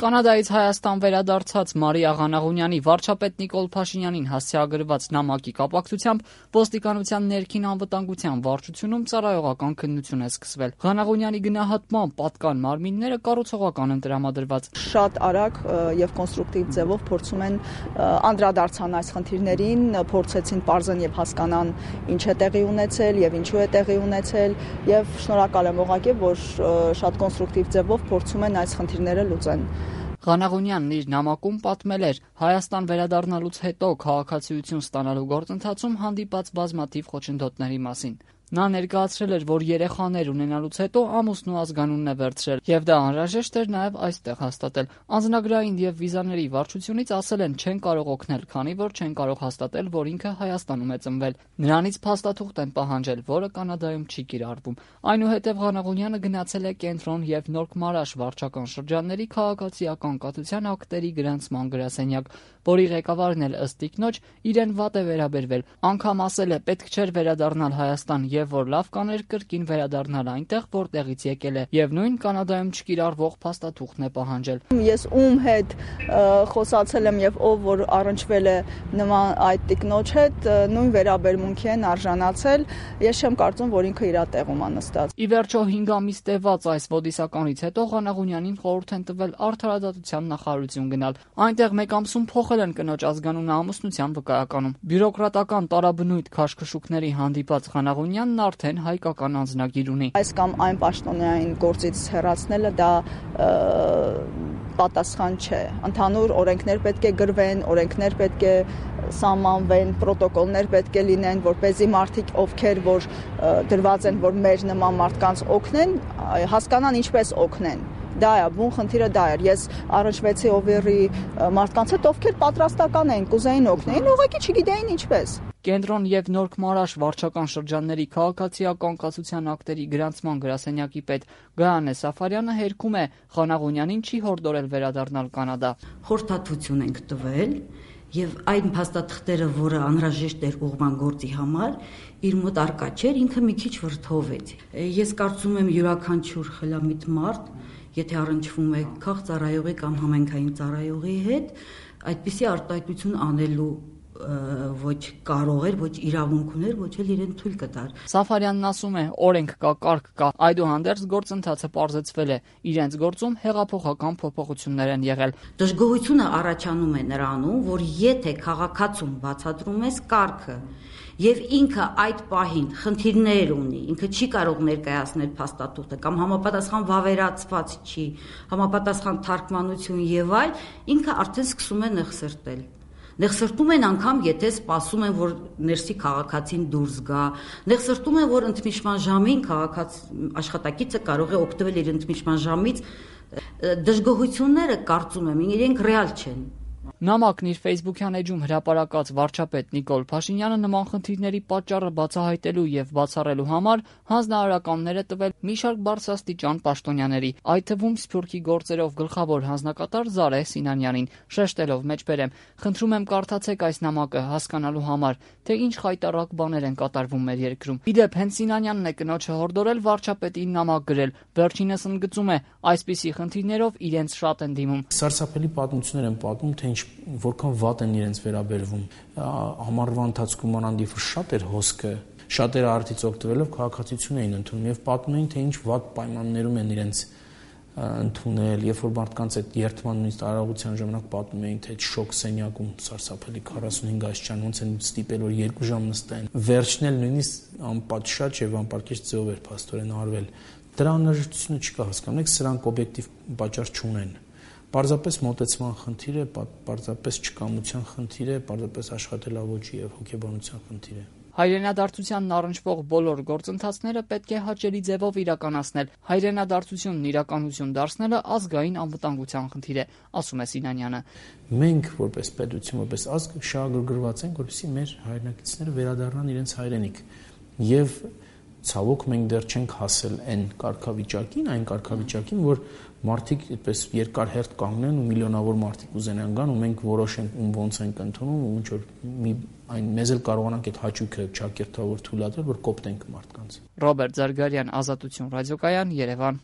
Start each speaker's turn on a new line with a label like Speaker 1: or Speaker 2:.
Speaker 1: Կանադայից Հայաստան վերադարձած Մարիա Ղանաղունյանի վարչապետ Նիկոլ Փաշինյանին հասցեագրված նամակի կապակցությամբ ոստիկանության ներքին անվտանգության վարչությունում ծառայողական քննություն է սկսվել։ Ղանաղունյանի գնահատմամբ պատկան մարմինները կառուցողական են տրամադրված։
Speaker 2: Շատ արագ եւ կոնստրուկտիվ ձևով փորձում են անդրադարձան այս խնդիրներին, փորձեցին պարզեն եւ հասկանան ինչ է տեղի ունեցել եւ ինչու է տեղի ունեցել եւ շնորհակալ եմ ուղղակի, որ շատ կոնստրուկտիվ ձևով փորձում են այս խնդիրները լուծեն։
Speaker 1: Ղանաղունյանն իր նամակում պատմել էր Հայաստան վերադառնալուց հետո քաղաքացիություն ստանալու գործընթացում հանդիպած բազմաթիվ խոչընդոտների մասին։ Նա ներկայացրել էր, որ երեխաներ ունենալուց հետո ամուսնու ազգանունն է վերցրել, եւ դա անհրաժեշտ էր նաեւ այստեղ հաստատել։ Անձնագրային եւ վիզաների վարչությունից ասել են չեն կարող օգնել, քանի որ չեն կարող հաստատել, որ ինքը Հայաստանում է ծնվել։ Նրանից փաստաթուղթ են պահանջել, որը Կանադայում չի կիրառվում։ Այնուհետև Ղանաղունյանը գնացել է Կենտրոն եւ Նորք-Մարաշ վարչական շրջանների քաղաքացիական կաթության ակտերի գրանցման գրասենյակ, որի ղեկավարն էլ ըստ ինքնոջ իրեն վատ է վերաբերվել։ Անգամ ասել է, պետք չէր վերադառնալ Հայաստան եւ որ լավ կաներ կրկին վերադառնալ այնտեղ, որտեղից եկել է, եւ նույն Կանադայում չկիրառվող փաստաթուղթն է պահանջել։
Speaker 2: Ես ում հետ խոսացել եմ եւ ով որ առնչվել է նման այդ տիկնոջ հետ, նույն վերաբերմունքի են արժանացել։ Ես չեմ կարծում, որ ինքը իր տեղում է նստած։
Speaker 1: Ի վերջո 5 ամիս տևած այս ոդիսականից հետո Ղանաղունյանին խորհուրդ են տվել Արդարադատության նախարարություն գնալ։ Այնտեղ մեկ ամսում փոխել են կնոջ ազգանունը ամուսնության վկայականում։ Բյուրոկրատական տարաբնույթ քաշքշուկների հանդիպած Ղանաղունյանն արդեն հայկական անձնագիր ունի։
Speaker 2: Այս կամ այն պաշտոնային գործից հեռացնելը դա պատասխան չէ։ Ընդհանուր օրենքներ պետք է գրվեն, օրենքներ պետք է սահմանվեն, պրոտոկոլներ պետք է լինեն, որպեսզի մարդիկ, ովքեր որ դրված են, որ մեր նման մարդկանց օգնեն, հասկանան ինչպես օգնեն։ Դա է, բուն խնդիրը դա էր։ Ես առնչվեցի Օվերի մարդկանց հետ, ովքեր պատրաստական էին, կուզեին օգնեին, ուղղակի չգիտեին ինչպես։
Speaker 1: Կենտրոն եւ Նորք-Մարաշ վարչական շրջանների քաղաքացիական կացության ակտերի գրանցման գրասենյակի պետ Գայանե Սաֆարյանը հերքում է Ղանաղունյանին չի հորդորել վերադառնալ Կանադա։
Speaker 3: Խորհրդատվություն ենք տվել եւ այն փաստաթղթերը, որը անհրաժեշտ էր ուղղման գործի համար, իր մոտ արկա չէր, ինքը մի քիչ վրդովեց։ Ես կարծում եմ յուրաքանչյուր խելամիտ մարդ, եթե առնչվում է քաղաքծառայողի կամ համայնքային ծառայողի հետ, այդպիսի արտահայտություն անելու ոչ կարող էր, ոչ իրավունք ուներ, ոչ էլ իրեն թույլ կտար։
Speaker 1: Սաֆարյանն ասում է, օրենք կա, կարգ կա, այդուհանդերձ գործընթացը պարզեցվել է, իրենց գործում հեղափոխական փոփոխություններ են եղել։
Speaker 3: Դժգոհությունը առաջանում է նրանում, որ եթե քաղաքացուն բացատրում ես կարգը եւ ինքը այդ պահին խնդիրներ ունի, ինքը չի կարող ներկայացնել փաստաթուղթը կամ համապատասխան վավերացված չի, համապատասխան թարգմանություն եւ այլ, ինքը արդեն սկսում է նեղսրտել։ Նեղսրտում են անգամ, եթե սպասում են, որ ներսի քաղաքացին դուրս գա, նեղսրտում են, որ ընդմիջման ժամին աշխատակիցը կարող է օգտվել իր ընդմիջման ժամից, դժգոհությունները կարծում եմ, իրենք ռեալ չեն։
Speaker 1: Նամակն իր Facebook-յան էջում հրապարակած վարչապետ Նիկոլ Փաշինյանը նման խնդիրների պատճառը բացահայտելու եւ բացառելու համար հանձնարարականներ է տվել մի շարք բարձրաստիճան պաշտոնյաների, այդ թվում Սփյուռքի գործերով գլխավոր հանձնակատար Զարե Սինանյանին, շեշտելով մեջբերեմ. խնդրում եմ կարդացեք այս նամակը հասկանալու համար, թե ինչ խայտառակ բաներ են կատարվում մեր երկրում։ Իդեպ հենց Սինանյանն է կնոջը հորդորել վարչապետին նամակ գրել, վերջինս ընդգծում է, այսպիսի խնդիրներով իրենց շատ են դիմում։
Speaker 4: Սարսափելի պատմություններ են պատմում, թե որքան վատ են իրենց վերաբերվում։ Համարվա ընթացքում անանդիվը շատ էր հոսքը, շատերը արդից օգտվելով քաղաքացիություն էին ընդունում եւ պատմում էին, թե ինչ վատ պայմաններում են իրենց ընդունել, երբ որ մարդկանց այդ երթման նույնիսկ արարողության ժամանակ պատմում էին, թե շոկ սենյակում սարսափելի 45 աստիճան ոնց են ստիպել, որ 2 ժամ նստեն։ Վերջն էլ նույնիսկ անպատշաճ եւ անպարկեշտ ձևով էր փաստորեն արվել։ Դրա անհրաժեշտությունը չկա, հասկանում եք, սրանք օբյեկտիվ պատճառ չունեն։ Պարզապես մոտեցման խնդիր է, պարզապես չկամության խնդիր է, պարզապես աշխատելավոճի եւ հոգեբանության խնդիր է։
Speaker 1: Հայրենադարձությանն առնչվող բոլոր գործընթացները պետք է հաճելի ձևով իրականացնել։ Հայրենադարձությունն իրականություն դարձնելը ազգային անվտանգության խնդիր է, ասում է Սինանյանը։
Speaker 4: Մենք որպես պետություն, որպես ազգ շահագրգռված ենք, որպեսզի մեր հայրենակիցները վերադառնան իրենց հայրենիք։ Եվ ցավոք մենք դեռ չենք հասել այն կարգավիճակին, որ մարդիկ այդպես երկար հերթ կանգնեն ու միլիոնավոր մարդիկ ուզենան գան ու մենք որոշենք ում ոնց ենք ընդունում ու ինչ որ մեզ էլ կարողանանք այդ հաճույքը ճակերտավոր թույլատրել, որ կոպտենք մարդկանց։
Speaker 1: Ռոբերտ Զարգարյան, Ազատություն ռադիոկայան, Երևան։